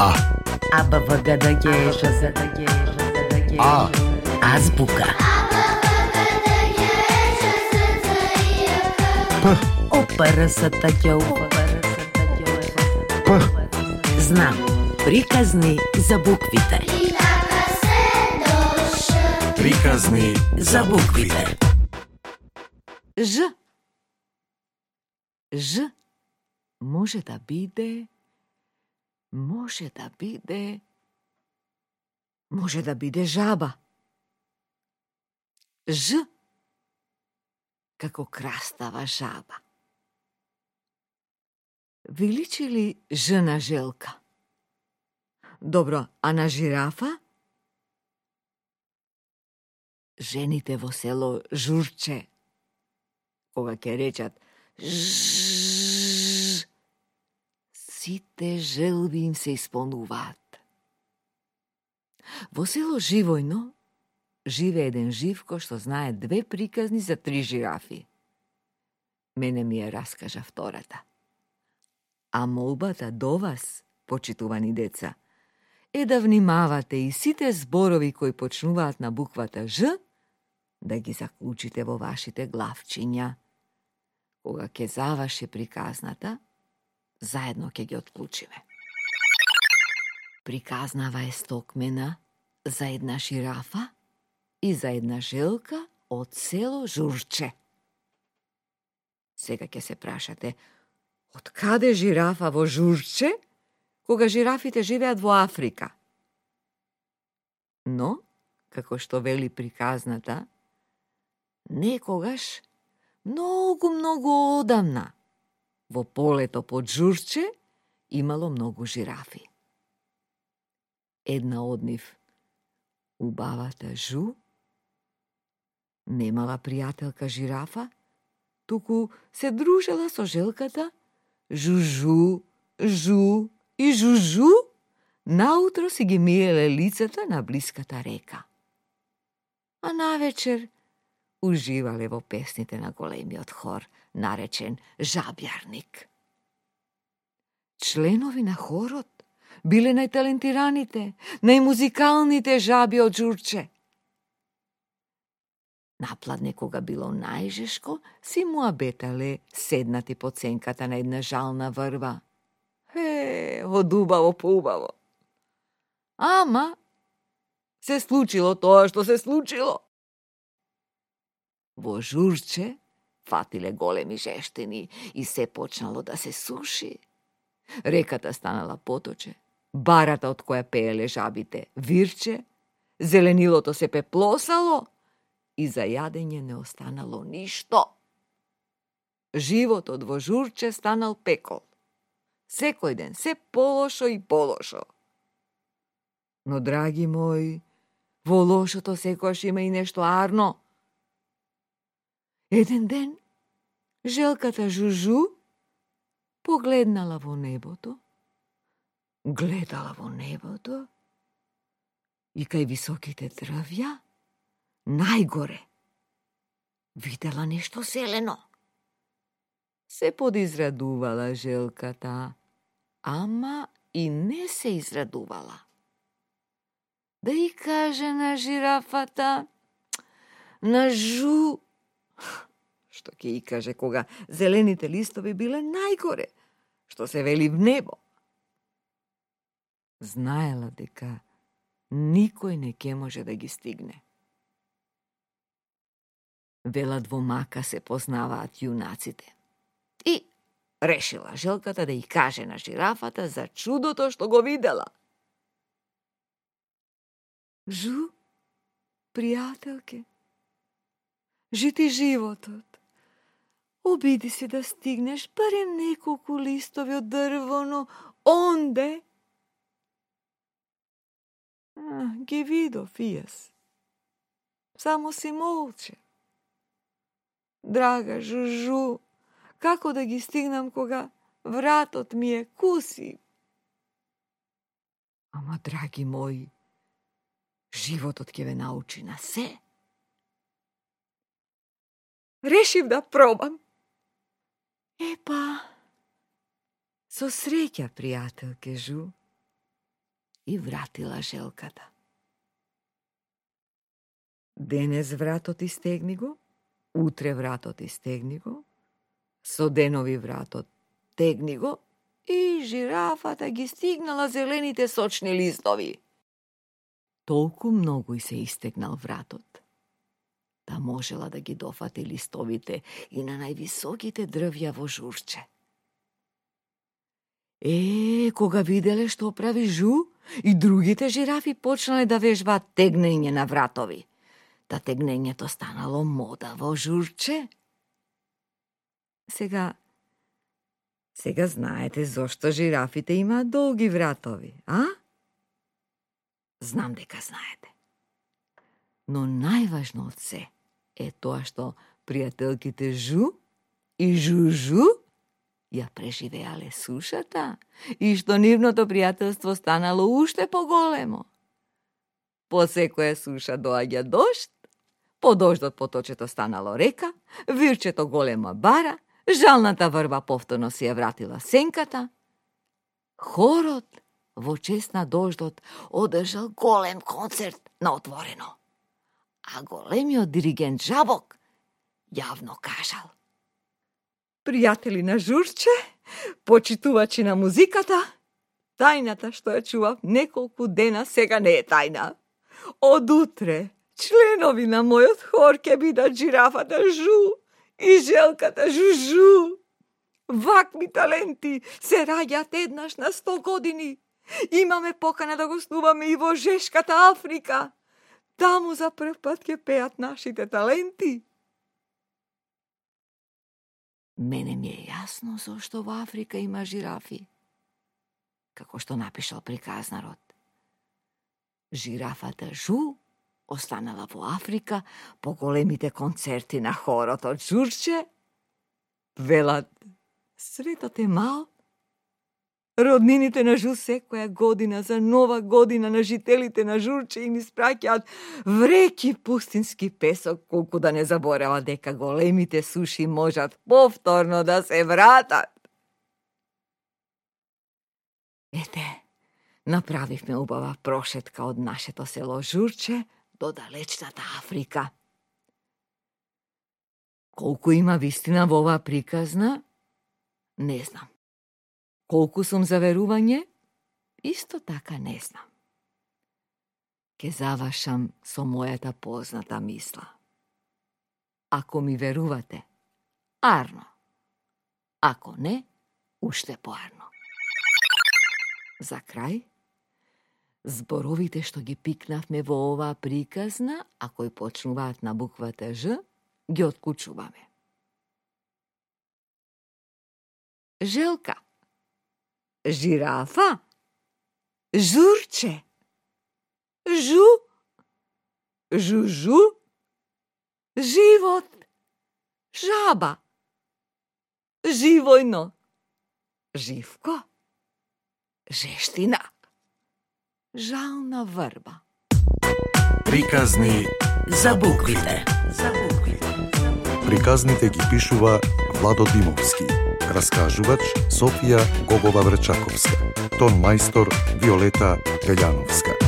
А. А, Б, В, Г, Д, Г, Ш, З, Д, Г, Ж, З, Д, Г. А. Азбука. П. О, П, Р, С, Т, Қ, У, П, Р, С, Т, Қ, У, П. Знам. Приказни за буквите. Приказни За буквите. Ж. Ж може да биде, може да биде жаба. Ж како крастава жаба. Ви личи ли Ж на желка? Добро, а на жирафа? Жените во село журче, кога ќе речат жжж, сите желби им се исполнуваат. Во село Живојно живе еден живко што знае 2 приказни за 3 жирафи. Мене ми ја раскажа втората. А молбата до вас, почитувани деца, е да внимавате и сите зборови кои почнуваат на буквата Ж, да ги заклучите во вашите главчиња. Кога ќе заврши приказната, заедно ќе ги отклучиме. Приказнава е стокмена за една жирафа и за една желка од село Журче. Сега ќе се прашате, од каде жирафа во Журче, кога жирафите живеат во Африка? Но, како што вели приказната, некогаш, многу одамна, во полето под Журче имало многу жирафи. Една од нив, убавата Жу, немала пријателка жирафа, туку се дружела со желката Жужу, Жу и Жужу, наутро си ги миеле лицата на блиската река. А навечер уживале во песните на големиот хор, наречен Жабјарник. Членови на хорот биле најталентираните, најмузикалните жаби од Журче. Напладне, кога било најжешко, си муабетале седнати под сенката на една жална врва. Од убаво по убаво. Ама, се случило тоа што се случило. Во Журче фатиле големи жештини и се почнало да се суши. Реката станала поточе, барата од која пееле жабите вирче, зеленилото се пеплосало и за јадење не останало ништо. Животот во Журче станал пекол. Секој ден се полошо и полошо. Но, драги мои, во лошото секојаш има и нешто арно. Еден ден, желката Жужу погледнала во небото, гледала во небото и кај високите дрвја, најгоре, видела нешто зелено. Се подизрадувала желката, ама и не се израдувала. Да и каже на жирафата, на Жу, што ќе и каже кога зелените листови биле најгоре, што се вели в небо. Знаела дека никој не ќе може да ги стигне. Велат во мака се познаваат јунаците. И решила желката да и каже на жирафата за чудото што го видела. Жу, пријателке, жити животот. Обиди се да стигнеш барем неколку листови од дрвоно, онде. Ги видов и јас. Само си молче. Драга Жужу, како да ги стигнам кога вратот ми е куси? Ама, драги мои, животот ќе ве научи на се. Решив да пробам. Епа, со среќа, пријателке Жу. и вратила желката. Денес вратот истегни го, утре вратот истегни го, со денови вратот тегни го и жирафата ги стигнала зелените сочни листови. Толку многу и се истегнал вратот, да можела да ги дофати листовите и на највисоките дрвја во Журче. Кога виделе што прави Жу, и другите жирафи почнале да вежбаат тегнење на вратови. Та тегнењето станало мода во Журче. Сега знаете зошто жирафите имаат долги вратови, а? Знам дека знаете. Но најважно од се е тоа што пријателките Жу и Жужу ја преживеале сушата и што нивното пријателство станало уште поголемо. По секоја суша доаѓа дожд, по дождот поточето станало река, вирчето голема бара, жалната врба повторно си ја вратила сенката. Хорот во чест на дождот одржал голем концерт на отворено, а големиот диригент Жабок јавно кажал: пријатели на Журче, почитувачи на музиката, тајната што ја чував неколку дена сега не е тајна. Од утре членови на мојот хор ќе бидат жирафата Жу и желката Жужу. Вакви таленти се раѓаат еднаш на 100 години. Имаме покана да гостуваме и во Жешката Африка. Таму за прв пат ќе пеат нашите таленти. Мене ми е јасно зошто во Африка има жирафи. Како што напишал приказнарот. Жирафата Жу останала во Африка по големите концерти на хорот од Журче. Велат, светот е мал. Роднините на Жу секоја година за нова година на жителите на Журче им испраќаат вреки пустински песок, колку да не заборава дека големите суши можат повторно да се вратат. Ете, направивме убава прошетка од нашето село Журче до далечната Африка. Колку има вистина во оваа приказна, не знам. Колку сум за верување, исто така не знам. Ке завршам со мојата позната мисла. Ако ми верувате, арно. Ако не, уште поарно. За крај, зборовите што ги пикнавме во оваа приказна, а кои почнуваат на буквата Ж, ги откучуваме. Желка, жирафа, Журче, Жу, Жужу, живот, жаба, живојно, живко, жештина, жална врба. Приказни за буквите. Приказните ги пишува Владо Димовски. Раскажувач Софија Гогова Врчаковска. Тон мајстор Виолета Белјановска.